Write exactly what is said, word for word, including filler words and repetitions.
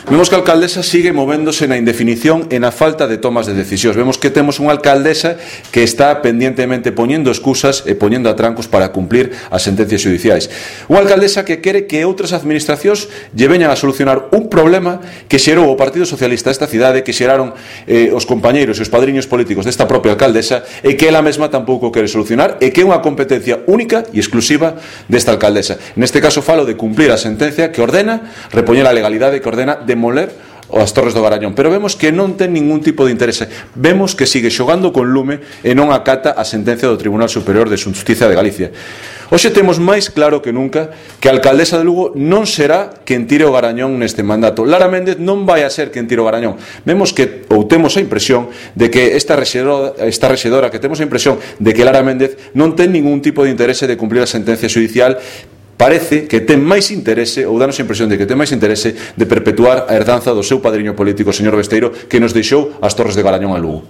Vemos que a alcaldesa sigue movéndose na indefinición e na falta de tomas de decisións. Vemos que temos unha alcaldesa que está pendientemente poñendo excusas e poñendo atrancos para cumplir as sentencias judiciais. Unha alcaldesa que quere que outras administracións lle veñan a solucionar un problema que xerou o Partido Socialista desta cidade, que xeraron eh, os compañeiros e os padriños políticos desta propia alcaldesa, e que ela mesma tampouco quere solucionar, e que é unha competencia única e exclusiva desta alcaldesa. Neste caso falo de cumplir a sentencia que ordena repoñer a legalidade, que ordena demoler as Torres do Garañón, pero vemos que non ten ningún tipo de interese. Vemos que sigue xogando con lume e non acata a sentencia do Tribunal Superior de Xustiza de Galicia. Hoxe temos máis claro que nunca que a alcaldesa de Lugo non será quen tire o Garañón neste mandato. Lara Méndez non vai a ser quen tire o Garañón. Vemos que, ou temos a impresión de que esta rexedora, esta rexedora que temos a impresión de que Lara Méndez non ten ningún tipo de interese de cumplir a sentencia judicial. Parece que ten máis interese, ou danos a impresión de que ten máis interese de perpetuar a herdanza do seu padriño político, o señor Besteiro, que nos deixou as Torres de Garañón a Lugo.